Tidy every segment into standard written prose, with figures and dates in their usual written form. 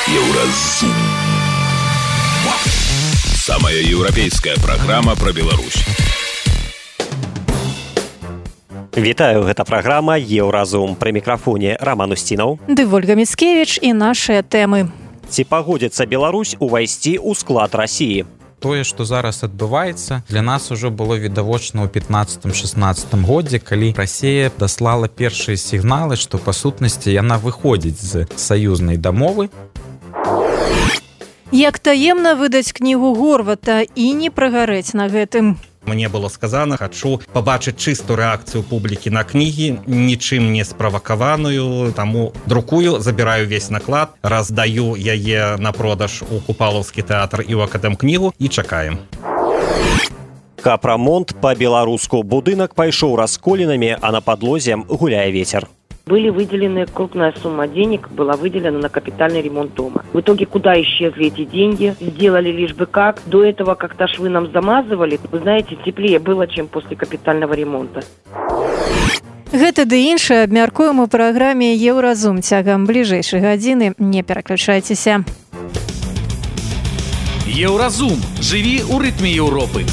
Еўразум. Самая европейская программа про Беларусь. Вітаю, гэта праграма «Еўразум». Пры мікрафоне Роман Устінаў ды Ольга Міцкевіч і нашыя тэмы. Ці пагодзіцца Беларусь увайсці ў склад Расіі? Тое, што зараз адбываецца, для нас ужо было відавочна ў 15-16 годзе, калі Расія даслала першыя сігналы, што па сутнасці яна выходзіць з саюзнай дамовы. Як таемна выдаць кнігу Горвата і не прагарэць на гэтым. Мне было сказано, хочу побачыць чыстую рэакцыю публікі на кнігі, нічым не справакаваную, таму друкую, забіраю весь наклад, раздаю яе на продаж у Купалаўскі тэатр і ў Акадэмкнігу і чакаем. Капрамонт па-беларуску. Будынак пайшоў расколінамі, а на падлозе гуляе вецер. Были выделены, крупная сумма денег была выделена на капитальный ремонт дома. В итоге куда исчезли эти деньги? Сделали лишь бы как. До этого как-то швы нам замазывали. Вы знаете, теплее было, чем после капитального ремонта. Гэта ды іншае абмяркуем у праграме «Еўразум». Цягам бліжэйшай гадзіны не пераключайцеся. Еўразум. Жыві ў рытме Еўропы.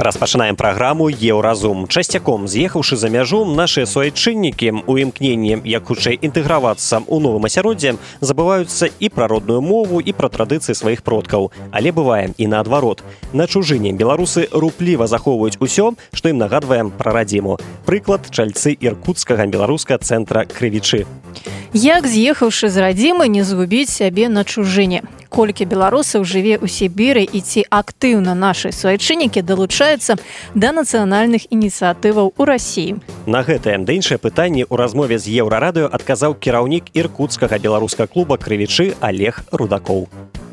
Распачынаем праграму «Еўразум». Часцяком, з'ехаўшы за мяжу, нашыя суайчыннікі у імкненні як хутчэй інтэгравацца ў новым асяроддзе забываюцца і пра родную мову, і пра традыцыі сваіх продкаў. Але бывае і наадварот. На чужыне беларусы рупліва захоўваюць усё, што ім нагадвае пра радзіму. Прыклад – чальцы іркуцкага беларускага цэнтра «Крывічы». Як, з'ехаўшы з радзімы, не згубіць сябе на чужыне? Колькі беларусаў жыве ў Сібіры і ці актыўна нашы суайчыннікі далучаюцца да нацыянальных ініцыятываў у Расіі? На гэтае да іншае пытанне ў размове з Еўрарадыё адказаў кіраўнік іркуцкага беларускага клуба «Крывічы» Олег Рудакоў.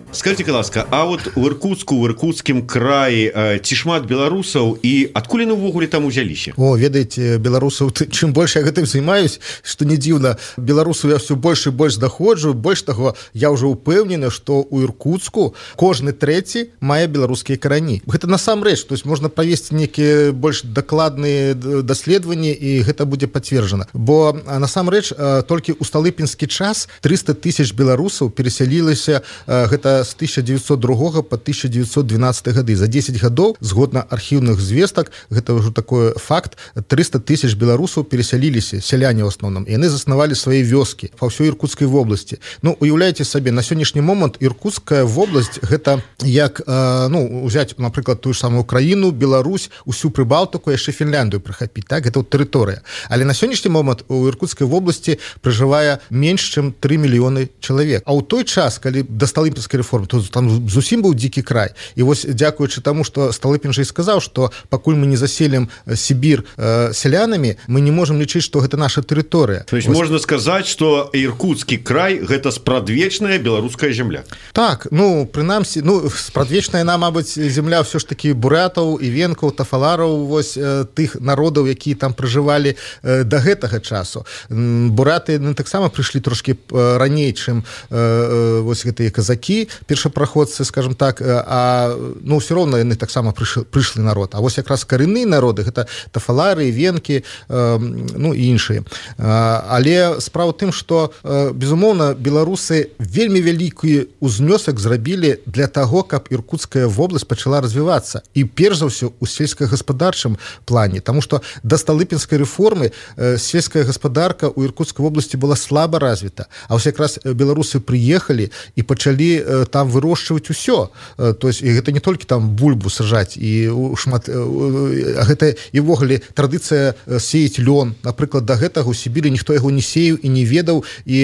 Скажите, ласка, а вот в Иркутскім краі ці шмат беларусаў і адкуль яны ўвогуле там узяліся? О, ведаеце, беларусаў, чым больше я гэтым займаюсь, што не дзіўна, беларусаў я все больш і больш даходжу. Больш таго, я ўжо ўпэўнены, што ў Іркуцку кожны трэці мае беларускія карані. Гэта насамрэч, то есть можна правесці нейкія больш дакладныя даследаванні і гэта будзе пацверджана. Бо насамрэч толькі ў сталыпінскі час 300 000 беларусаў перасялілася гэта з 1902 по 1912 гады. За 10 гадоў, згодна архіўных звестак, гэта ўжо такой факт, 300 000 беларусаў перасяліліся, сяляне ў асноўным, і яны заснавалі свае вёскі па ўсёй Іркутскай вобласці. Ну, уяўляеце сабе, на сённяшні момант Іркутская вобласць гэта як, узяць, напрыклад, тую ж самую Украіну, Беларусь, усю Прыбалтыку, яшчэ Фінляндыю прахапіць, так? Гэта тэрыторыя. Але на сённяшні момант у Іркутскай вобласці пражывае менш, чым 3 мільёны чалавек. А ў той час, калі да сталыпінскай рэформы, то там зусім быў дзікі край. І вось дзякуючы таму, што Сталыпін жа і сказаў, што пакуль мы не заселім Сібір сялянамі, мы не можам лічыць, што гэта наша тэрыторыя. То есть можна сказаць, што Іркутскі край гэта спрадвечная беларуская зямля. Так, прынамсі, спрадвечная яна, мабыць, зямля ўсё ж такі бурятаў, івенкаў, тафалараў, вось тых народаў, якія там пражывалі да гэтага часу. Буряты таксама прыйшлі трошкі раней, чым вось гэтыя казакі, першапраходцы, скажем так, а ўсё роўна яны таксама прышлы народ. А вось якраз карэнныя народы гэта тафалары, венкі, і іншыя. Але справа ў тым, што безумоўна беларусы вельмі вялікі ўзнёсак зрабілі для таго, каб Іркутская вобласць пачала развівацца, і перш за ўсё у сельскагаспадарчым плане, таму што да сталыпінскай рэформы сельская гаспадарка ў Іркутскай вобласці была слаба развіта, а вось якраз беларусы прыехалі і пачалі там вырошчваць усё. То есть і гэта не толькі там бульбу сажаць, і шмат, гэта і ўвогуле традыцыя сеяць лён. Напрыклад, да гэтага ў Сібіры ніхто яго не сеяў і не ведаў, і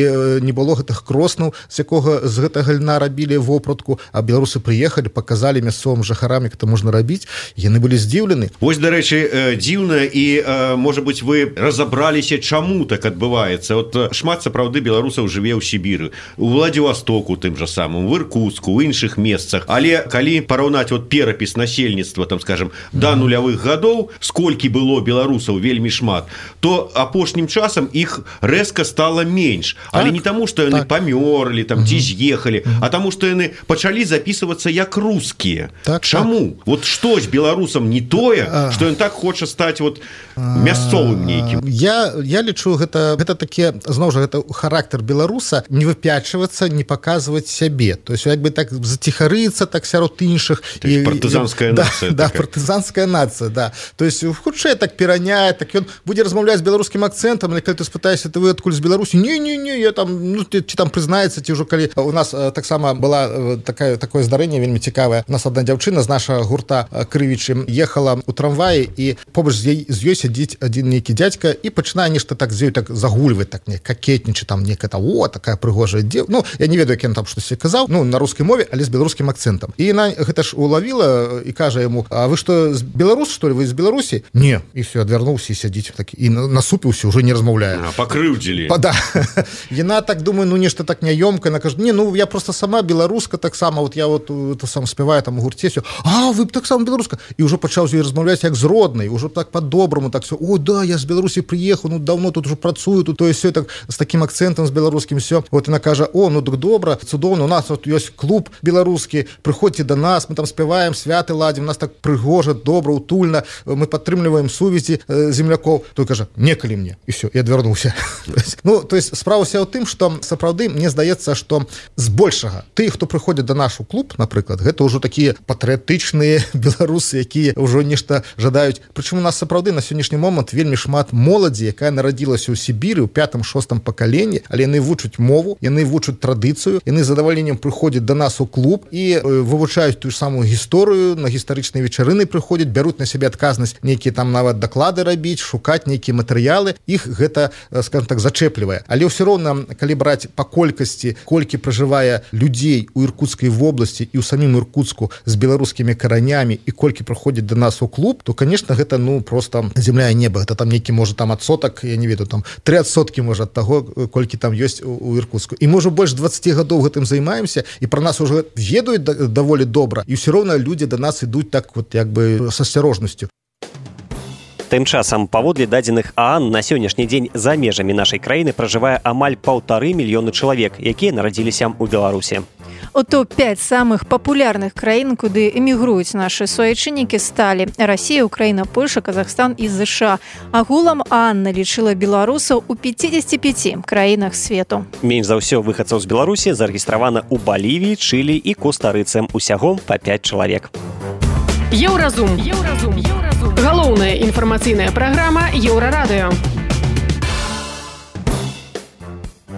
не было гэтых кроснаў, з гэтага льна рабілі вопратку, а беларусы прыехалі, паказалі мясцовым жыхарам, як это можна рабіць, яны былі здзіўлены. Вось, дарэчы, дзіўна, і, можа быць, вы разабраліся, чаму так адбываецца. От шмат, сапраўды, беларусаў жыве ў Сібіры, у Владзівастоку тым жа самым, в Иркутску, у іншых месцах. Але калі параўнаць вот перапіс насельніцтва, там, скажем, до нулявых гадоў, сколькі было беларусаў вельмі шмат, то апошнім часам іх рэзка стала менш. Але не таму, што яны памёрлі, там, ці з'ехалі, а таму, што яны пачалі записывацца як рускія. Чаму? Вот што з беларусам не тое, што ён так хоча стаць вот мясцовым нейкім? Я лічу, гэта такі, зноў жа, гэта характер беларуса не выпячвацца, не паказваць сябе. То есть, як бы так заціхарыцца, так сярод іншых. Партызанская нацыя. Да, партызанская нацыя, да. То есть, хутчэй так пераняе, так ён будзе размаўляць з беларускім акцэнтам, але калі ты спытаешся, ты вы адкуль з Беларусі? Не, я там, ну, ці там прызнаецца, ці ўжо калі у нас таксама была такое здарэнне вельмі цікавае. У нас одна дзяўчына з нашага гурта Крывічы ехала у трамваі, і побач з ёй сядзіць адзін нейкі дзядзька і пачынае нешта так з ёй так загульваць, так не какетнічаць, там некая такая прыгожая дзеў. Ну, я не ведаю, як ён там штосьці казаў, ну, на рускай мове, але з беларускім акцэнтам. І яна гэта ж улавіла і кажа яму: а вы што, з Беларус, што ли, вы з Беларусі? Не. І все, адвярнуўся і сядзіць так, і насупіўся, уже не размаўляе. Пакрыўдзілі. Да. Яна так думаю, ну, нешта так няёмка, она кажа: не, ну, я просто сама беларуска, таксама, вот я вот это сам спяваю там у гурце, все. А, вы таксама беларуска. І ўжо пачаў з ёй размаўляць як з роднай, ўжо так по-добраму, так все. О, да, я з Беларусі прыехаў, ну, давно тут уже працую, тут то есть все так з таким акцентом, з беларускім все. Вот яна кажа: о, ну, так добра, цудоўна, у нас вот ёсць клуб беларускі, прыходзьце до нас, мы там спяваем, святы ладзім, у нас так прыгожа, добра, утульна, мы падтрымліваем сувязі землякоў. Той кажа: некалі мне. І все, і адвярнуўся. Ну, то есть справа ўся ў тым, што сапраўды мне здаецца, што збольшага ты, хто прыходзіць да нашу клуб, напрыклад, гэта ўжо такія патрыятычныя беларусы, якія ўжо нешта жадаюць. Прычым у нас сапраўды на сённяшні момант вельмі шмат моладзі, якая нарадзілася ў Сібіры ў 5-6 пакаленні, але яны вучаць мову, яны вучаць традыцыю, яны з задавальненнем прыходзяць да нас у клуб і вывучаюць тую самую гісторыю, на гістарычныя вечарыны прыходзяць, бяруць на сябе адказнасць нейкія там нават даклады рабіць, шукаць нейкія матэрыялы. Іх гэта, скажем так, зачэплівае. Але ўсё роўна, калі браць па колькасці, колькі пражывае людзей у Іркутскай вобласці і ў самім Іркутску з беларускімі каранямі і колькі прыходзіць да нас у клуб, то, конечно, гэта, ну, просто земля і неба. Гэта там нейкі, можа, там адсотак, я не ведаю, там 3%, можа, ад таго, колькі там ёсць у Іркутску. І мы ўжо больш 20 гадоў гэтым займаемся, і пра нас уже ведаюць даволі добра, і ўсё роўна людзі да нас ідуць так вот, як бы, с асцярожнасцю. Тым часам, паводле дадзеных ААН, на сённяшні дзень за межамі нашай краіны пражывае амаль 1,5 мільёны чалавек, якія нарадзіліся ў Беларусі. У топ-5 самых папулярных краін, куды эмігруюць нашы суайчыннікі, сталі Расія, Украіна, Польша, Казахстан і ЗША. Агулам ААН налічыла беларусаў у 55 краінах свету. Менш за ўсё выхадцаў з Беларусі зарэгістравана ў Балівіі, Чылі і Коста-Рыцы, усяго па 5 чалавек. Еўразум. Галоўная інфармацыйная праграма Еўрарадыё.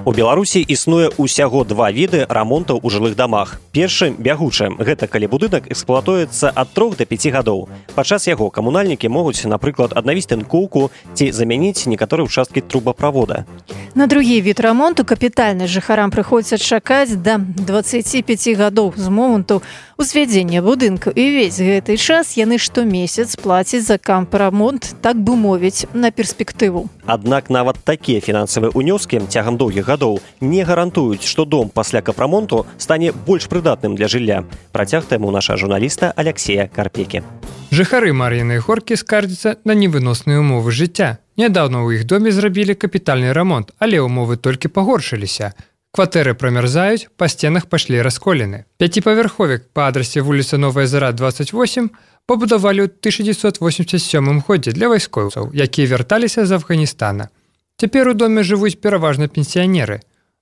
У Беларусі існуе ўсяго 2 віды рамонтаў у жылых дамах. Першы – бягучы. Гэта калі будынак эксплуатуецца ад 3 до 5 гадоў. Падчас яго камунальнікі могуць, напрыклад, аднавіць тынкоўку ці замяніць некаторыя ўчасткі трубаправода. На другі від рамонту капітальны жыхарам прыходзіцца чакаць да 25 гадоў з моманту узвядзення будынку. І ўвесь гэты час яны штомесяц плацяць за кампрамонт, так бы мовіць, на перспектыву. Аднак нават такія фінансавыя ўнёскі цягам доўгіх гадоў не гарантуюць, што дом пасля капрамонту стане больш прыдатным для жылля. Працяг тэму наша журналіста Алексея Карпекі. Жыхары Мар'іной Горкі скардзяцца на невыносныя ўмовы жыцця. Нядаўна ў іх доме зрабілі капітальны рамонт, але ўмовы толькі пагоршыліся. Кватэры прамярзаюць, па сценах пашлі расколіны. 5павярховік па адрасе вуліца Новая Зара, 28 пабудавалі ў 1987 годзе для вайскоўцаў, якія вярталіся з Афганістана. Цяпер у доме жывуць пераважна пенсіянеры.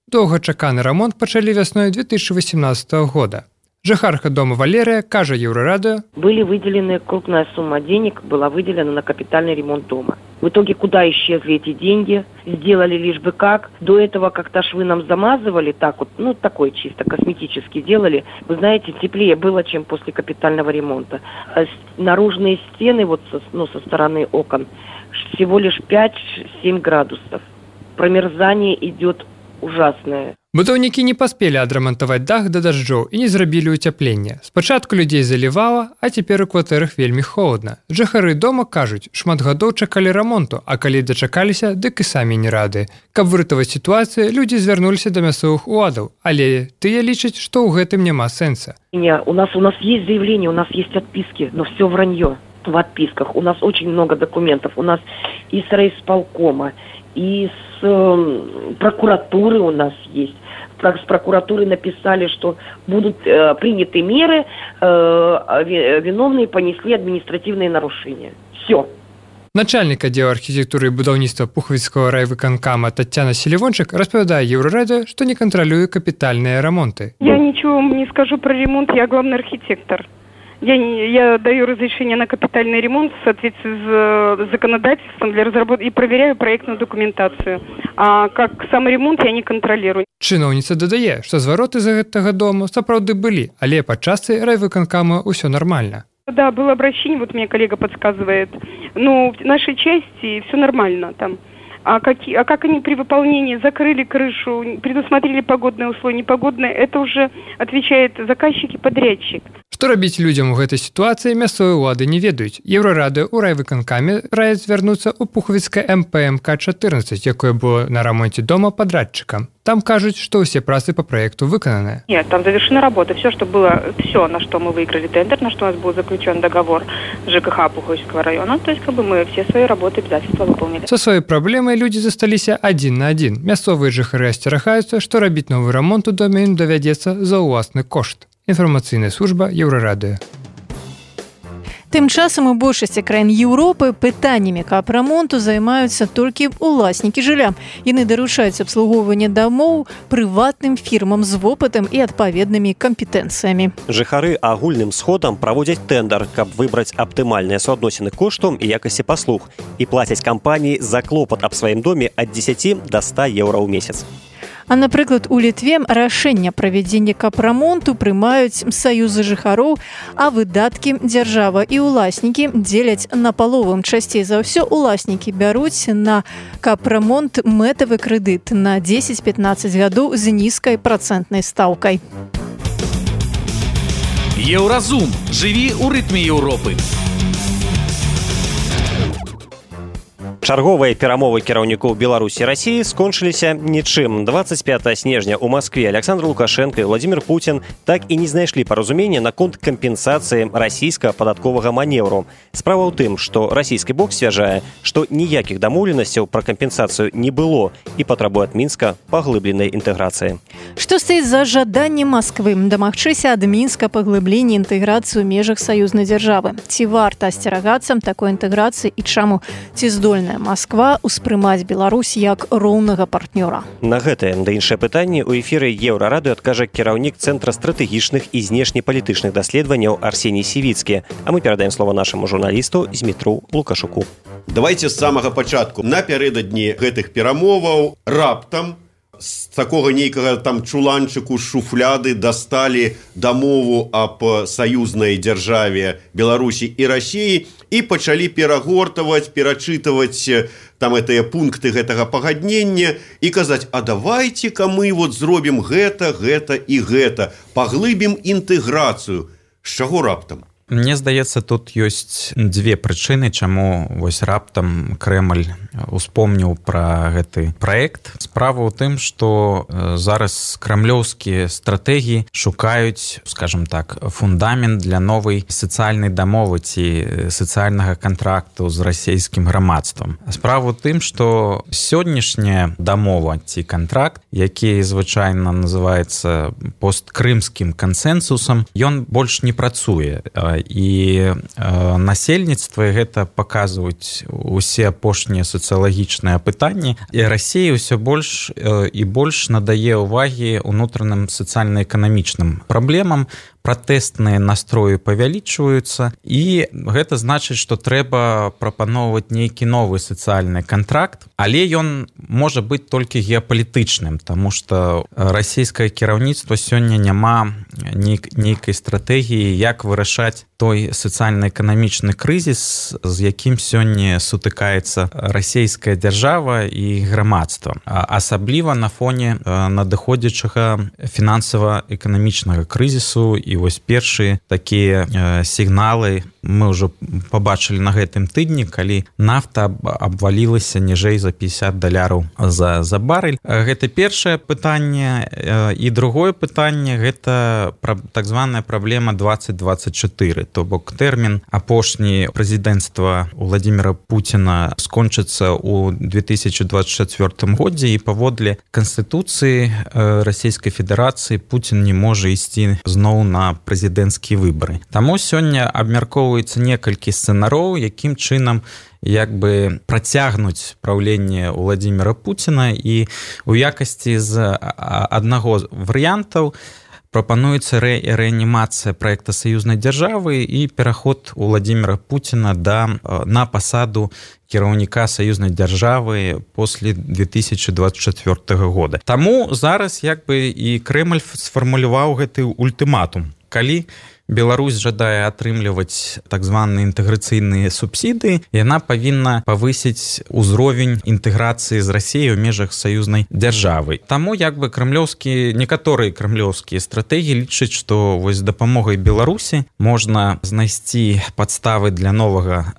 Доўгачаканы рамонт пачалі вясной 2018 года. Жыхарка дома Валерия, кажа Еврорадио. Были выделены, крупная сумма денег была выделена на капитальный ремонт дома. В итоге куда исчезли эти деньги? Сделали лишь бы как. До этого как-то швы нам замазывали, так вот, ну такой чисто косметически делали. Вы знаете, теплее было, чем после капитального ремонта. А наружные стены вот со стороны окон всего лишь 5-7 градусов. Промерзание идет ужасное. Будаўнікі не паспелі адрамантаваць дах да дажджоў і не зрабілі ўцяпленне. Спачатку людзей залівала, а цяпер у кватэрах вельмі холадна. Жыхары дома кажуць, шмат гадоў чакалі рамонту, а калі дачакаліся, дык і самі не рады. Каб выратаваць сітуацыю, людзі звярнуліся да мясцовых уладаў, але тыя лічаць, што ў гэтым няма сэнса. У нас есть заявление, у нас есть отписки, но все вранье в отписках. У нас очень много документов. У нас и с райисполкома, и с прокуратуры у нас есть. С прокуратуры написали, что будут приняты меры, виновные понесли административные нарушения. Все. Начальник отдела архитектуры и будаўніцтва Пуховицкого райвыканкама Татьяна Селивончик распавядае Еврорадио, что не контролюет капитальные ремонты. Я ничего не скажу про ремонт, я главный архитектор. Я даю разрешение на капитальный ремонт в соответствии с законодательством для разработки и проверяю проектную документацию. А как сам ремонт я не контролирую. Чыноўніца дадае, што звароты з гэтага дому сапраўды былі, але падчас райвыканкама ўсё нормально. Да, было обращение, вот мне коллега подсказывает. Ну, в нашей части все нормально там. А как они при выполнении закрыли крышу, предусмотрели погодные условия, непогодные, это уже отвечает заказчик и подрядчик. Што рабіць людзям у гэтай сітуацыі мясцовыя ўлады не ведаюць. Еўрарадыё ў райвыканкаме раяць звярнуцца ў Пуховіцкае МПМК-14, якое было на рамонце дома падрадчыкам. Там кажуць, што ўсе працы по проекту выкананы. Нет, там завершена работа. Все, что было, все, на что мы выиграли тендер, на что у нас был заключен договор с ЖКХ Пуховицкого района, то есть мы все свои работы, обязательства выполнили. Со своей проблемой люди засталіся адзін на адзін. Мясцовыя жыхары асцерагаюцца, што рабіць новы рамонт у доме ім давядзецца за ўласны кошт. Інфармацыйная служба Еўрарадыё. Тым часам у большасці краін Еўропы пытаннямі капрамонту займаюцца толькі ўласнікі жылля. Яны даручаюць абслугоўванне дамоў прыватным фірмам з вопытам і адпаведнымі кампетэнцыямі. Жыхары агульным сходам праводзяць тэндар, каб выбраць аптымальныя суадносіны кошту і якасці паслуг і плацяць кампаніі за клопат аб сваім доме ад 10 до 100 еўра ў месяц. А, напрыклад, у Літве рашэнне правядзення капрамонту прымаюць саюзы жыхароў, а выдаткі дзяржава і ўласнікі дзеляць напалову. Часцей за ўсё ўласнікі бяруць на капрамонт мэтавы крэдыт на 10-15 гадоў з нізкай працэнтнай стаўкай. Еўразум. Жыві ў рытме Еўропы. Чарговыя перамовы кіраўнікоў Беларусі і Расіі скончыліся нічым. 25 снежня ў Маскве Александр Лукашенко і Владимир Путин так і не знайшлі паразумення наконт кампенсацыі расійскага падатковага манеўру. Справа ў тым, што расійскі бок сцвярджае, што ніякіх дамоўленасцяў пра кампенсацыю не было і патрабуе ад Мінска паглыбленай інтэграцыі. Што стаіць за жаданнем Масквы дамагчыся ад Мінска паглыблення інтэграцыі ў межах саюзнай дзяржавы? Ці варта асцерагацца такой інтэграцыі і чаму? Ці здольная Масква успрымаць Беларусь як роўнага партнёра? На гэтае да іншыя пытанні ў эфіры Еўрарадыё адкажа кіраўнік Цэнтра стратэгічных і знешнепалітычных даследаванняў Арсеній Сівіцкі. А мы перадаем слова нашаму журналісту Змітру Лукашуку. Давайте з самага пачатку. Напярэдадні гэтых перамоваў раптам з такога нейкага там чуланчыку з шуфляды дасталі дамову аб саюзнай дзяржаве Беларусі і Расіі і пачалі перагортаваць, перачытаваць там гэтыя пункты гэтага пагаднення і казаць, а давайте-ка мы вот зробім гэта і гэта, паглыбім інтэграцыю. З чаго раптам? Мне здаецца, тут ёсць дзве прычыны, чаму вось раптам Крэмль успомніў пра гэты праект. Справа ў тым, што зараз крамлёўскія стратэгіі шукаюць, скажем так, фундамент для новай сацыяльнай дамовы ці сацыяльнага кантракту з расійскім грамадствам. Справа ў тым, што сённяшняя дамова ці кантракт, які звычайна называецца посткрымскім кансэнсусам, ён больш не працуе. І насельніцтва гэта паказваюць усе апошнія сацыялагічныя пытанні. І Расія ўсё больш і больш надае ўвагі ўнутраным сацыяльна-эканамічным праблемам. Пратэстныя настроі павялічваюцца, і гэта значыць, што трэба прапаноўваць нейкі новы сацыяльны кантракт, але ён можа быць толькі геапалітычным, таму што расійскае кіраўніцтва сёння няма нейкай стратэгіі, як вырашаць той сацыяльна-эканамічны крызіс, з якім сёння сутыкаецца расійская дзяржава і грамадства. Асабліва на фоне надыходзячага фінансава-эканамічнага крызісу, і вось першыя такія сігналы мы ўжо пабачылі на гэтым тыдні, калі нафта абвалілася ніжэй за $50 за барэль. Гэта першае пытанне. І другое пытанне – гэта так званая праблема 2024. То бок тэрмін апошні прэзідэнцтва Владимира Путина скончыцца ў 2024 годзе, і паводле Канстытуцыі Расійскай Федэрацыі Путин не можа ісці зноў на прэзідэнцкія выбары. Таму сёння абмяркоўваецца некалькі сцэнароў, якім чынам як бы працягнуць праўленне Владимира Путина, і у якасці з аднаго варыянтаў прапануецца рэанімацыя праекта саюзнай дзяржавы і пераход Владимира Путина на пасаду кіраўніка саюзнай дзяржавы после 2024 года. Таму зараз як бы і Крэмль сфармуляваў гэты ультыматум. Калі Беларусь жадае атрымліваць так званыя інтэграцыйныя субсідыі, яна павінна павысіць узровень інтэграцыі з Расіяй у межах саюзнай дзяржавы. Таму як бы некаторыя крамлёўскія стратэгіі лічаць, што вось з дапамогай Беларусі можна знайсці падставы для новага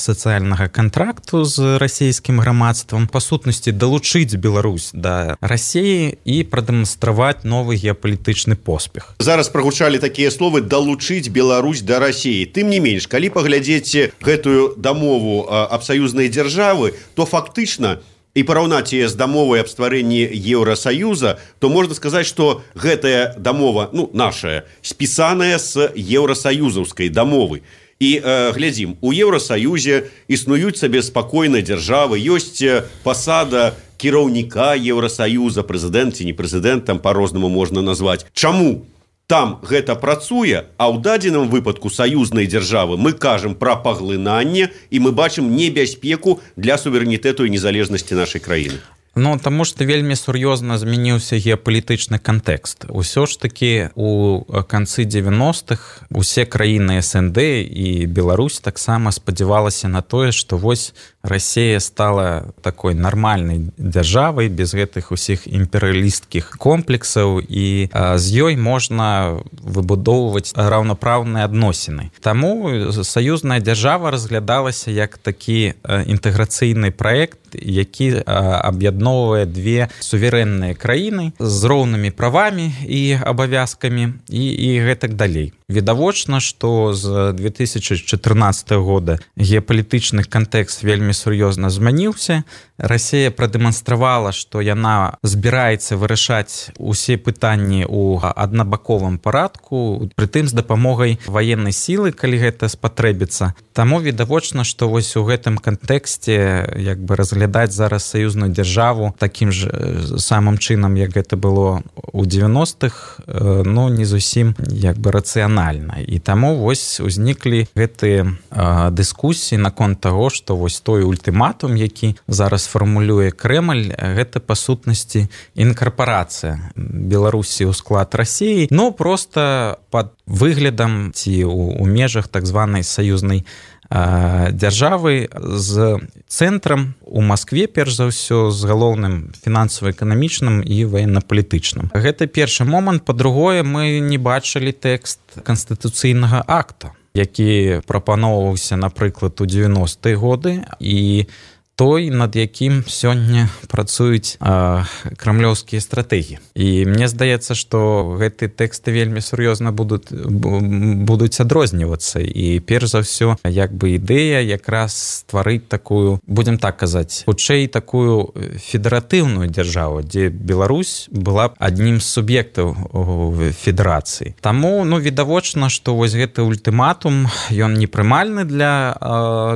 сацыяльнага кантракту з расійскім грамадствам, па сутнасці далучыць Беларусь да Расіі і прадэманстраваць новы геапалітычны поспех. Зараз прагучалі такія словы «далучыць Беларусь да Расіі». Тым не менш, калі паглядзець гэтую дамову аб саюзнай дзяржавы, то фактычна і параўнаць яе з дамовай аб стварэнні Еўрасаюза, то можна сказаць, што гэтая дамова, нашая, спісаная з еўрасаюзаўскай дамовы. І глядзім, у Еўрасаюзе існуюць сабе спакойныя дзяржавы, ёсць пасада кіраўніка Еўрасаюза, прэзідэнт ці не прэзідэнт, там па-рознаму можна назваць. Чаму там гэта працуе, а ў дадзеным выпадку саюзнай дзяржавы мы кажам пра паглынанне, і мы бачым небяспеку для суверэнітэту і незалежнасці нашай краіны? Таму што вельмі сур'ёзна змяніўся геапалітычны кантэкст. Усё ж такі у канцы 90-х усе краіны СНД і Беларусь таксама спадзявалася на тое, што вось Расія стала такой нармальнай дзяржавай без гэтых усіх імперыялісцкіх комплексаў, і з ёй можна выбудоўваць раўнапраўныя адносіны. Таму саюзная дзяржава разглядалася як такі інтэграцыйны праект, які аб'ядноўвае две суверэнныя краіны з роўнымі правамі і абавязкамі і гэтак далей. Відавочна, што з 2014 года геапалітычны кантэкст вельмі сур'ёзна змяніўся. Расія прадэманстравала, што яна збіраецца вырашаць усе пытанні ў аднабаковым парадку, прытым з дапамогай ваеннай сілы, калі гэта спатрэбіцца. Таму відавочна, што вось у гэтым кантэксце як бы разглядаць зараз саюзную дзяржаву такім ж самым чынам, як гэта было ў 90-х, не зусім як бы рацыянальна. І таму вось узніклі гэтыя дыскусіі наконт таго, што вось той ультыматум, які зараз фармулюе Крэмль, гэта па сутнасці інкарпарацыя Беларусі ў склад Расіі, проста пад выглядам ці ў межах так званай саюзнай дзяржавы з цэнтрам у Маскве, перш за ўсё, з галоўным фінансава-эканамічным і ваенна-палітычным. Гэта першы момант. Па-другое, мы не бачылі тэкст канстытуцыйнага акта, які прапаноўваўся, напрыклад, у 90-е годы, і той, над якім сёння працуюць крамлёўскія стратэгіі. І мне здаецца, што гэты тэксты вельмі сур'ёзна будуць адрознівацца. І перш за ўсё, як бы ідэя якраз стварыць такую, будзем так казаць, хутчэй такую федэратыўную дзяржаву, дзе Беларусь была б аднім з суб'ектаў федэрацыі. Таму, відавочна, што вось гэты ультыматум, ён непрымальны для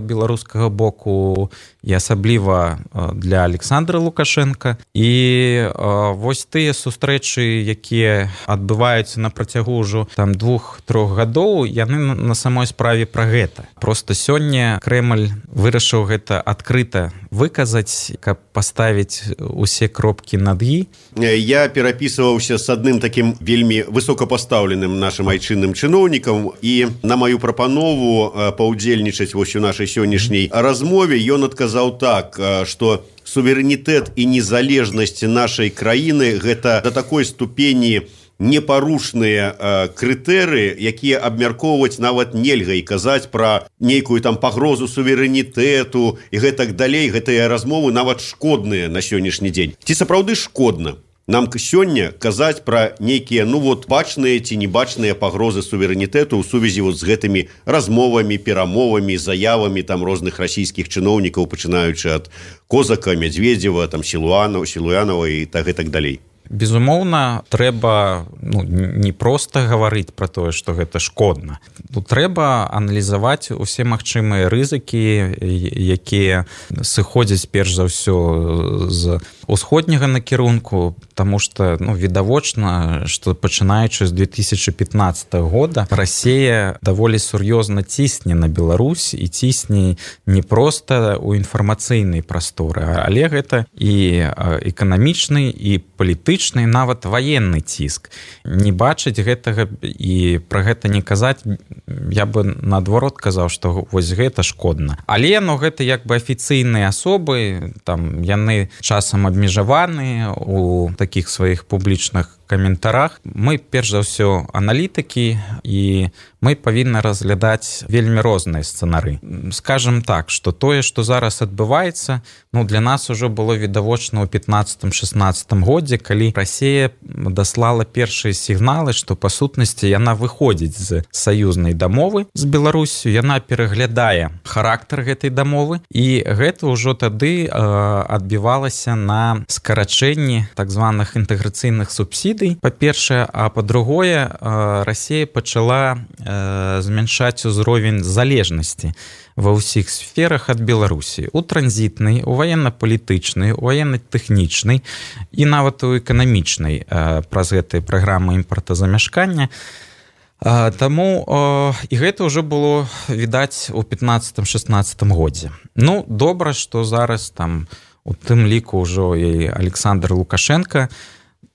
беларускага боку, і асабліва для Александра Лукашенка. І вось тыя сустрэчы, якія адбываюцца на працягу ўжо 2-3 гадоў, яны на самой справе пра гэта. Проста сёння Крэмль вырашыў гэта адкрыта выказаць, каб паставіць усе кропкі над «і». Я перапісваўся з адным такім вельмі высокапастаўленым нашым айчынным чыноўнікам, і на маю прапанову паўдзельнічаць вось у нашай сённяшняй размове ён адказаў так, што суверэнітэт і незалежнасць нашай краіны гэта да такой ступені непарушныя крытэрыі, якія абмяркоўваць нават нельга, і казаць пра нейкую там пагрозу суверэнітэту і гэтак далей, гэтыя размовы нават шкодныя на сённяшні дзень. Ці сапраўды шкодна нам сёння казаць пра нейкія бачныя ці небачныя пагрозы суверэнітэту ў сувязі з гэтымі размовамі, перамовамі, заявамі там розных расійскіх чыноўнікаў, пачынаючы ад Козака, Мядзведзева, там Сілуянова і так далей? Безумоўна, трэба не проста гаварыць пра тое, што гэта шкодна. Трэба аналізаваць усе магчымыя рызыкі, якія сыходзяць перш за ўсё з усходняга накірунку, таму што відавочна, што пачынаючы з 2015 года Расія даволі сур'ёзна цісне на Беларусь і цісне не проста ў інфармацыйнай прасторы, але гэта і эканамічны, і палітычны, нават ваенны ціск. Не бачыць гэтага і пра гэта не казаць, я бы наадварот казаў, што вось гэта шкодна. Але гэта як бы афіцыйныя асобы, там яны часам абмежаваныя у такіх сваіх публічных каментарах. Мы, перш за ўсё, аналітыкі, і мы павінны разглядаць вельмі розныя сцэнары. Скажам так, што тое, што зараз адбываецца, для нас ужо было відавочна ў 15-16 годзе, калі Расія даслала першыя сігналы, што па сутнасці яна выходзіць з саюзнай дамовы з Беларусю, яна пераглядае характар гэтай дамовы, і гэта ўжо тады адбівалася на скарачэнні так званых інтэграцыйных субсідый, па-першае, а па-другое, Расія пачала змяншаць узровень залежнасці ва ўсіх сферах ад Беларусі, у транзітнай, у ваенна-палітычнай, у ваенна-тэхнічнай і нават у эканамічнай праз гэтыя праграмы імпартазамяшкання. Таму і гэта ўжо было відаць у 15-16 годзе. Добра, што зараз там у тым ліку ўжо і Александр Лукашенко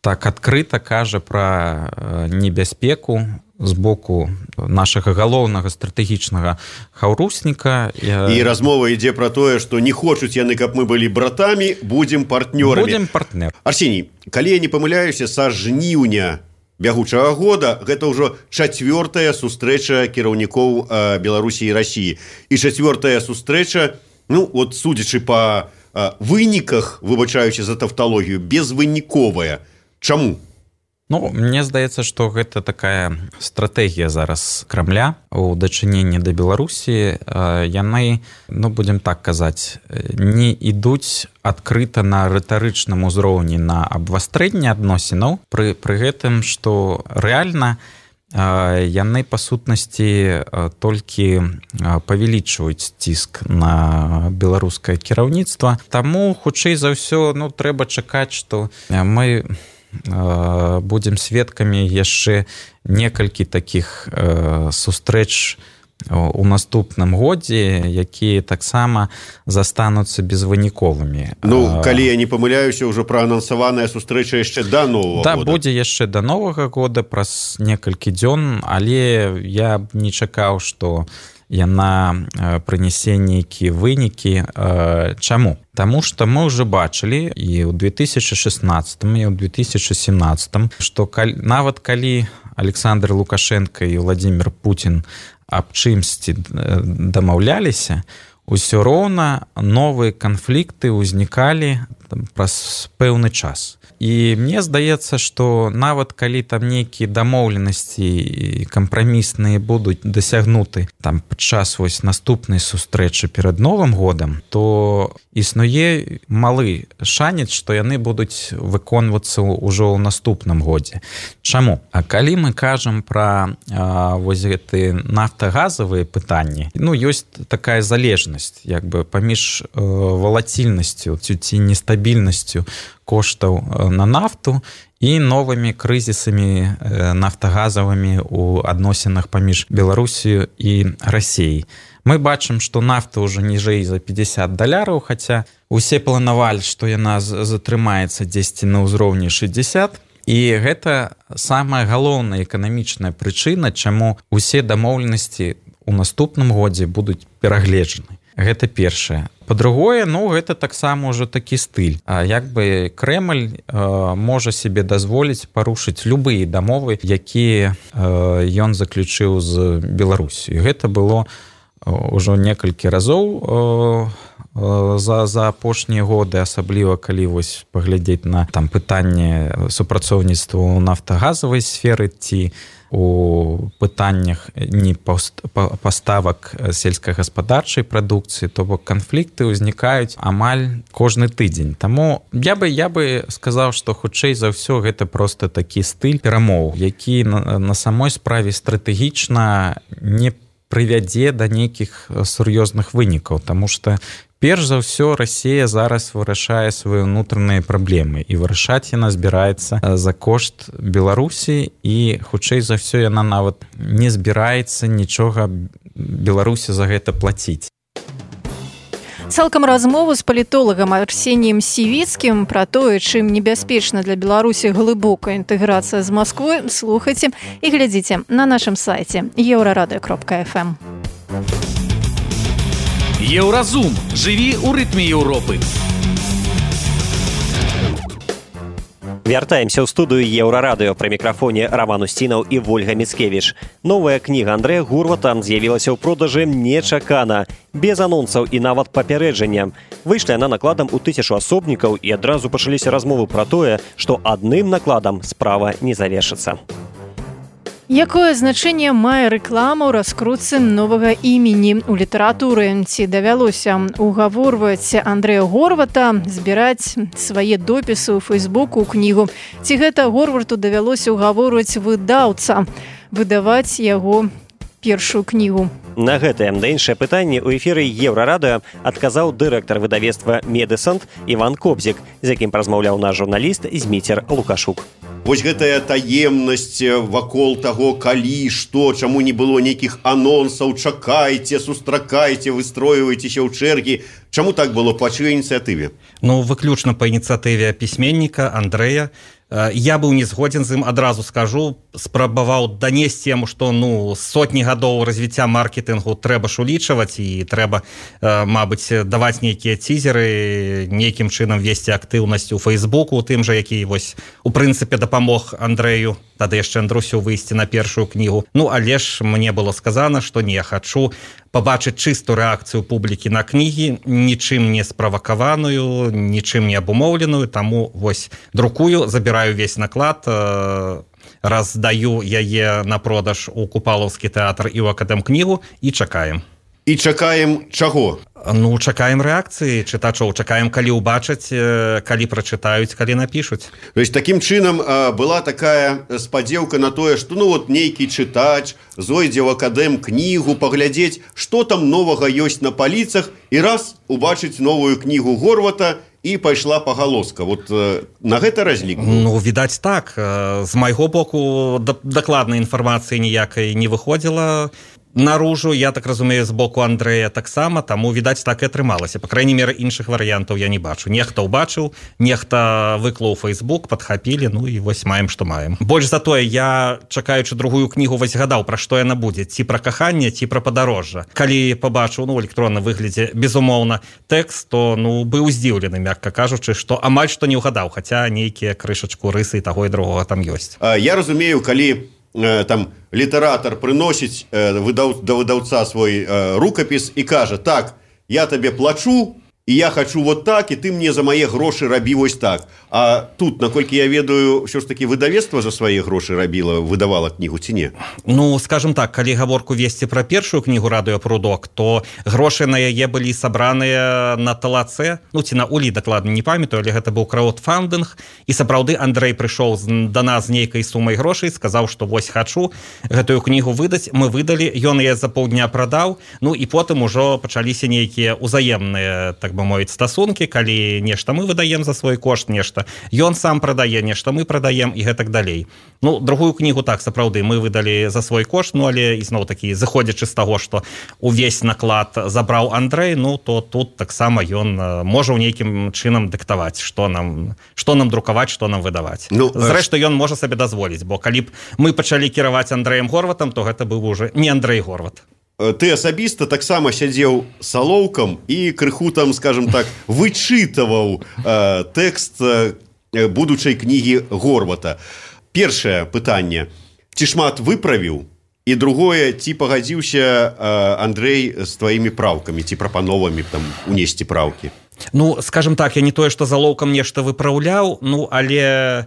так адкрыта кажа пра небяспеку з боку нашага галоўнага стратэгічнага хаўрусніка. І размова ідзе пра тое, што не хочуць яны, каб мы былі братамі, будзем партнёрамі. Будзем партнер. Арсеній, калі я не памыляюся, са жніўня бягучага года гэта ўжо 4-я сустрэча кіраўнікоў Беларусі і Расіі. І 4-я сустрэча, судзячы па выніках, выбачаючы за тавталогію, безвыніковая. Чаму? Мне здаецца, што гэта такая стратэгія зараз Крамля у дачыненні да Беларусі. Яны, будзем так казаць, не ідуць адкрыта на рытарычным узроўні на абвастрэнне адносінаў, пры гэтым, што рэальна яны па сутнасці толькі павялічваюць ціск на беларускае кіраўніцтва. Таму, хутчэй за ўсё, трэба чакаць, што мы будзем сведкамі яшчэ некалькі такіх сустрэч у наступным годзе, якія таксама застануцца безвыніковымі. Калі я не памыляюся, ўжо праанансаваная сустрэча яшчэ да Новага года. Будзе яшчэ да Новага года, праз некалькі дзён, але я б не чакаў, што яна прынясе нейкія вынікі. Чаму? Таму што мы ўжо бачылі і ў 2016 і ў 2017, што нават калі Александр Лукашенко і Владимир Путин аб чымсьці дамаўляліся, усё роўна новыя канфлікты ўзнікалі праз пэўны час. І мне здаецца, што нават калі там нейкія дамоўленасці і кампрамісныя будуць дасягнуты там падчас вось наступнай сустрэчы перад Новым годам, то існуе малы шанец, што яны будуць выконвацца ўжо ў наступным годзе. Чаму? А калі мы кажам пра вось гэтыя нафтагазавыя пытанні, ёсць такая залежнасць як бы паміж валацільнасцю ці нестабільнасцю коштаў на нафту і новымі крызісамі нафтагазавымі ў адносінах паміж Беларусію і Расіяй. Мы бачым, што нафта ўжо ніжэй за $50, хаця усе планавалі, што яна затрымаецца дзесьці на ўзроўні 60. І гэта самая галоўная эканамічная прычына, чаму усе дамоўленасці ў наступным годзе будуць перагледжаны. Гэта першае. Па-другое, гэта таксама ўжо такі стыль. Як бы Крэмль можа себе дазволіць парушыць любыя дамовы, якія ён заключыў з Беларусію. Гэта было ўжо некалькі разоў за апошнія годы, асабліва калі вось паглядзець на там пытанне супрацоўніцтва ў нафтагазавай сферы ці у пытаннях не паставак сельскагаспадарчай прадукцыі, то бок канфлікты ўзнікаюць амаль кожны тыдзень. Таму я бы сказаў, што хутчэй за ўсё гэта проста такі стыль перамоў, які на самой справе стратэгічна не прывядзе да нейкіх сур'ёзных вынікаў, таму што перш за ўсё Расія зараз вырашае свае ўнутраныя праблемы і вырашаць яна збіраецца за кошт Беларусі і хутчэй за ўсё яна нават не збіраецца нічога Беларусі за гэта плаціць. Цалкам размову з палітолагам Арсеніем Сівіцкім пра тое, чым небяспечна для Беларусі глыбокая інтэграцыя з Масквой, слухайце і глядзіце на нашым сайце еўрарадыё.фм. Еўразум. Жыві ў рытме Еўропы. Вяртаемся ў студыю Еўрарадыё. Пры мікрафоне Роман Устінаў і Вольга Міцкевіч. Новая кніга Андрэя Гурвата з'явілася ў продажы нечакана, без анонсаў і нават папярэджання. Выйшла яна накладам у 1000 асобнікаў і адразу пачаліся размовы пра тое, што адным накладам справа не завершыцца. Якое значэнне мае рэклама ў раскрутцы новага імені ў літаратуры? Ці давялося угаворваць Андрэя Горвата збіраць свае допісы ў Фейсбуку ў кнігу? Ці гэта Горвату давялося угаворваць выдаўца выдаваць яго першую кнігу? На гэтае да іншае пытанне ў эфіры Еўрарадыё адказаў дырэктар выдавецтва «Медысант» Іван Кобзік, з якім размаўляў наш журналіст Зміцер Лукашук. Вось гэтая таемнасць вакол таго, калі, што, чаму не было нейкіх анонсаў, чакайце, сустракайце, выстройвайцеся ў чэргі. Чаму так было па чыёй ініцыятыве? Выключна па ініцыятыве пісьменніка Андрэя. Я быў не згодзін з ім, адразу скажу, спрабаваў данесці яму, што сотні гадоў развіцця маркетынгу трэба ж улічваць і трэба, мабыць, даваць нейкія цізеры, нейкім чынам весці актыўнасць у Фейсбуку, у тым жа, які вось у прынцыпе дапамог Андрэю, тады яшчэ Андрусю выйсці на першую кнігу. Але ж мне было сказана, што не, хачу пабачыць чыстую рэакцыю публікі на кнігі, нічым не справакаваную, нічым не абумоўленую, таму вось друкую, забіраю весь наклад, раздаю яе на продаж у Купалаўскі тэатр і ў Акадэмкнігу і чакаем. І чакаем чаго? Чакаем рэакцыі чытачоў, чакаем, калі ўбачаць, калі прачытаюць, калі напішуць. То есть такім чынам была такая спадзеўка на тое, што нейкі чытач зойдзе ў Акадэмкнігу паглядзець, што там новага ёсць на паліцах, і раз убачыць новую кнігу Горвата і пайшла пагалоска. Вот на гэта разлік? Відаць так. З майго боку дакладнай інфармацыі ніякай не выходзіла наружу, я так разумею, з боку Андрэя таксама, таму, відаць, так і атрымалася. Па крайней меры, іншых варыянтаў я не бачу. Нехта ўбачыў, нехта выклаў Фейсбук, падхапілі, і вось маем, што маем. Больш за тое, я, чакаючы другую кнігу, вось гадаў, пра што яна будзе, ці пра каханне, ці пра падарожжа. Калі пабачыў, у электронным выглядзе, безумоўна, тэкст, то, быў здзіўлены, мякка кажучы, што амаль што не ўгадаў, хаця нейкія крышачку рысы і таго і другога там ёсць. Я разумею, калі там літаратар прыносіць да выдаўца свой рукапіс і кажа: так, я табе плачу, і я хачу вот так, і ты мне за мае грошы рабі вось так. А тут, наколькі я ведаю, ўсё ж такі выдавецтва за свае грошы рабіла, выдавала кнігу ці не? Скажем так, калі гаворку весці пра першую кнігу «Радыёпрудок», то грошы на яе былі сабраныя на талаце, ці на улі, дакладна не памятаю, але гэта быў краудфандынг, і сапраўды Андрэй прыйшоў да нас з нейкай сумай грошай, сказаў, што вось хачу гэтую кнігу выдаць, мы выдалі, ён яе за паўдня прадаў, і потым ужо пачаліся нейкія ўзаемныя, так бы бы мовіць, стасункі, калі нешта мы выдаем за свой кошт, нешта ён сам прадае, нешта мы прадаем і гэтак далей. Ну, другую кнігу так, сапраўды, мы выдалі за свой кошт, ну, але ізноў-такі, заходзячы з таго, што увесь наклад забраў Андрэй, ну, то тут таксама ён можа ў нейкім чынам дыктаваць, што нам друкаваць, што нам выдаваць. Ну, зрэшты, ён можа сабе дазволіць, бо калі б мы пачалі кіраваць Андрэем Горватам, то гэта быў уже не Андрэй Горват. Ты асабіста таксама сядзеў салоўкам і крыху там, скажем так, вычытаваў тэкст будучай кнігі Горвата. Першае пытанне: ці шмат выправіў? І другое, ці пагадзіўся Андрэй з тваімі праўкамі, ці прапановамі там унесці праўкі? Ну, скажем так, я не тое, што залоўкам нешта выпраўляў, ну, але...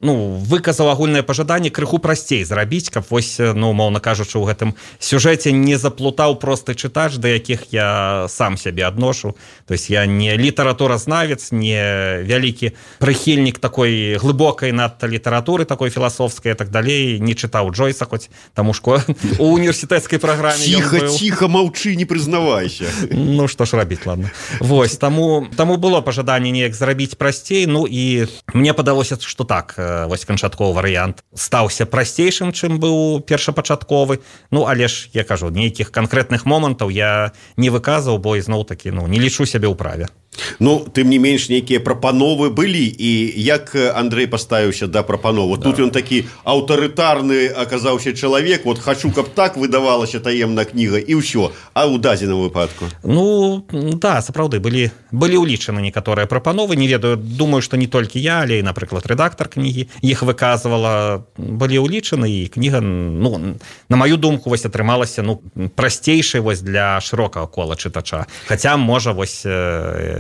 Ну, выказаў агульнае пажаданне крыху прасцей зрабіць, каб вось, ну, моўна кажучы, у гэтым сюжэце не заплутаў просты чытач, да якіх я сам сябе адношу. То есть я не літаратуразнавец, не вялікі прыхільнік такой глыбокай надта літаратуры, такой філасофскай і так далей, не чытаў Джойса, хоць таму у універсітэцкай праграме ён быў. Ціха, маўчы, не прызнавайся. Ну, што ж рабіць, ладно. Вось, таму было пажаданне неяк зрабіць прасцей, ну, і мне падалося, што так, вось канчатковы варыянт стаўся прасцейшым, чым быў першапачатковы. Ну, але ж, я кажу, нейкіх канкрэтных момантаў я не выказаў, бо ізноў-такі, ну, не лічу сябе ў праве. Ну, тым не менш, нейкія прапановы былі, і як Андрэй паставіўся да прапановы? Тут ён такі аўтарытарны аказаўся чалавек, вот хачу, каб так выдавалася таемная кніга, і ўсё, а ў дадзеным выпадку? Ну, да, сапраўды, былі ўлічаны некаторыя прапановы, не ведаю, думаю, што не толькі я, але і, напрыклад, рэдактар кнігі іх выказвала, былі ўлічаны, і кніга, ну, на маю думку, вось атрымалася, ну, прасцейшай вось для шырокага кола чытача. Хаця, можа, вось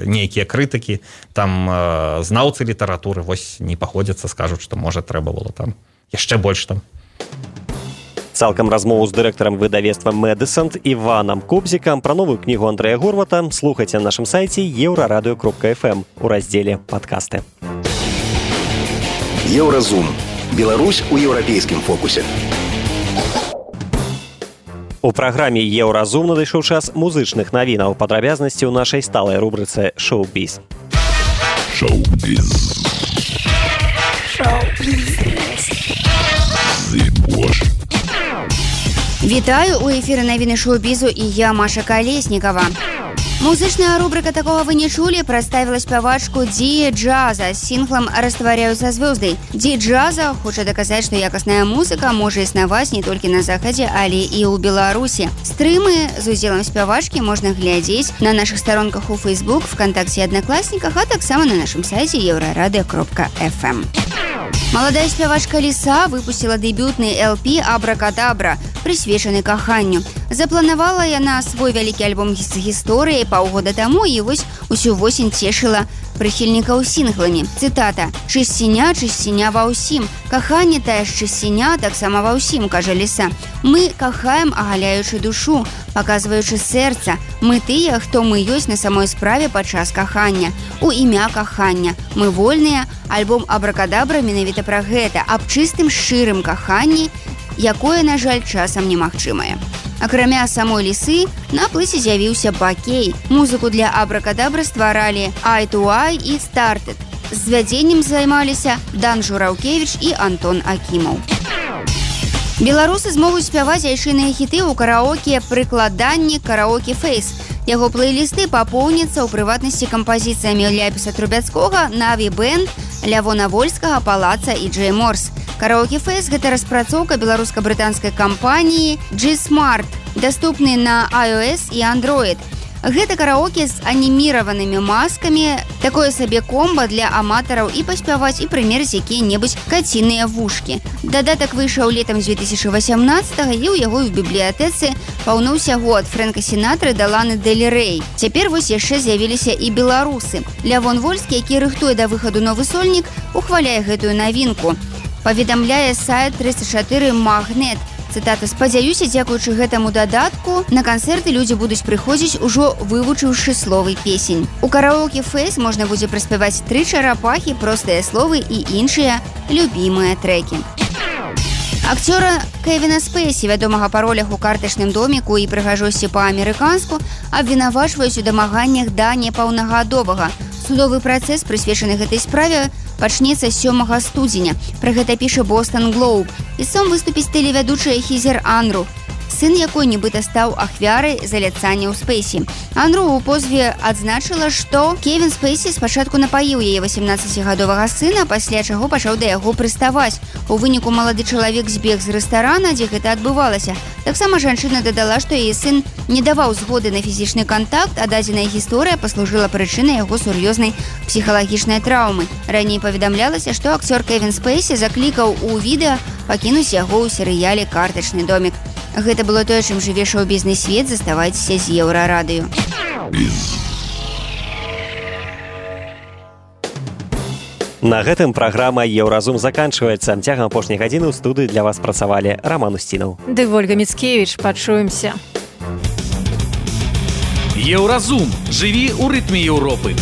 нейкія крытыкі, там знаўцы літаратуры вось не паходзяцца, скажуць, што можа трэба было там яшчэ больш там. Цалкам размову з дырэктарам выдавецтва Мэдысант Іванам Кобзікам пра новую кнігу Андрэя Горвата слухайце на нашым сайце еўрарадыё.фм у раздзеле «Падкасты». Еўразум. Беларусь у еўрапейскім фокусе. У праграме «Еўразум» надышоў час музычных навінаў, падрабязнасці ў нашай сталай рубрыцы «Шоу-біз». Шоу-біз. Вітаю, у эфіры навіны шоу-бізу і я, Маша Калеснікава. Музычная рубрика «Такого вы не чули» представила спявачку Ди Джаза с синглом «Растворяются звезды». Ди Джаза хочет доказать, что якостная музыка может иснаваць не только на Заходе, але и у Беларуси. Стрымы з удзелам спявачкі можна глядзець на наших сторонках у Facebook, ВКонтакте и Одноклассниках, а таксама на нашем сайте еўрарадыё.фм. Молодая спявачка Лиса выпустила дебютный LP «Абракадабра», присвечаны каханню. Запланавала яна свой вялікі альбом з гісторыяй паўгода таму і вось усю восень цешыла прыхільнікаў сінгламі. Цытата: «Чысціня ва ўсім. Каханне тая ж чысціня таксама ва ўсім», кажа Ліса. «Мы кахаем, агаляючы душу, паказваючы сэрца. Мы тыя, хто мы ёсць на самой справе падчас кахання. У імя кахання. Мы вольныя». Альбом «Абракадабра» менавіта пра гэта, аб чыстым шчырым каханні, якое, на жаль, часам немагчымае. Акрамя самой Лісы, на плыце з'явіўся Бакей. Музыку для «Абракадабры» стваралі Eye to Eye і Started. З звядзеннем займаліся Дан Жураўкевіч і Антон Акімаў. Беларусы змогуць спяваць айчынныя хіты ў караоке «Прыкладанні Караоке Фейс». Яго плейлісты папоўняцца ў прыватнасці кампазіцыямі Ляпіса Трубяцкога, Наві Бэнд, Лявона Вольскага, Палаца і Джей Морс. Караоке Фейс – гэта распрацоўка беларуска-брытанскай кампаніі G-Smart, даступны на iOS і Android. Гэта караоке з аніміраванымі маскамі, такое сабе комба для аматараў і паспяваць і прымерыць якія-небудзь каціныя вушкі. Дадатак выйшаў летам 2018-го і ў яго в бібліятэцы паўнуўся год Фрэнка Сінатры да Ланы Дель Рэй. Цяпер вось яшчэ з'явіліся і беларусы. Лявон Вольскі, які рыхтуе да выхаду новы сольнік, ухваляе гэтую навінку. Паведамляе сайт 34 Магнет. Цытата: «Спадзяюся, дзякуючы гэтаму дадатку, на канцэрты людзі будуць прыходзіць ужо вывучыўшы словы песень». У караоке Фейс можна будзе праспяваць «Тры чарапахі», «Простыя словы» і іншыя любімыя трэкі. Акцёра Кевіна Спейсі, вядомага па ролях у картачным доміку і прыгажосці па-амерыканску, абвінавачваюць у дамаганнях да непаўнагадовага. Судовы працэс, прысвечаны гэтай справе, пачнецца 7 студзеня. Пра гэта піша Бостон Глоуб. Ісцом выступіць тэлевядучая Хізер Анру, сын якой нібыта стаў ахвярай заляцання ў Спейсі. Анру ў позве адзначыла, што Кевін Спейсі спачатку напаіў яе 18-гадовага сына, пасля чаго пачаў да яго прыставаць. У выніку малады чалавек збег з рэстарана, дзе гэта адбывалася. Таксама жанчына дадала, што яе сын не даваў згоды на фізічны кантакт, а дадзеная гісторыя паслужыла прычынай яго сур'ёзнай псіхалагічнай траўмы. Раней паведамлялася, што акцёр Кевін Спейсі заклікаў у відэа пакінуць яго ў серыяле «Картачны домік». Гэта было тое, чым жыве шоу-бізнес свет. Заставайцеся з Еўрарадыё. На гэтым праграма «Еўразум» заканчваецца. Цягам апошняй гадзіны ў студыі для вас працавалі Раман Устінаў. Ды Вольга Міцкевіч. Пачуемся. Еўразум. Жыві ў рытме Еўропы.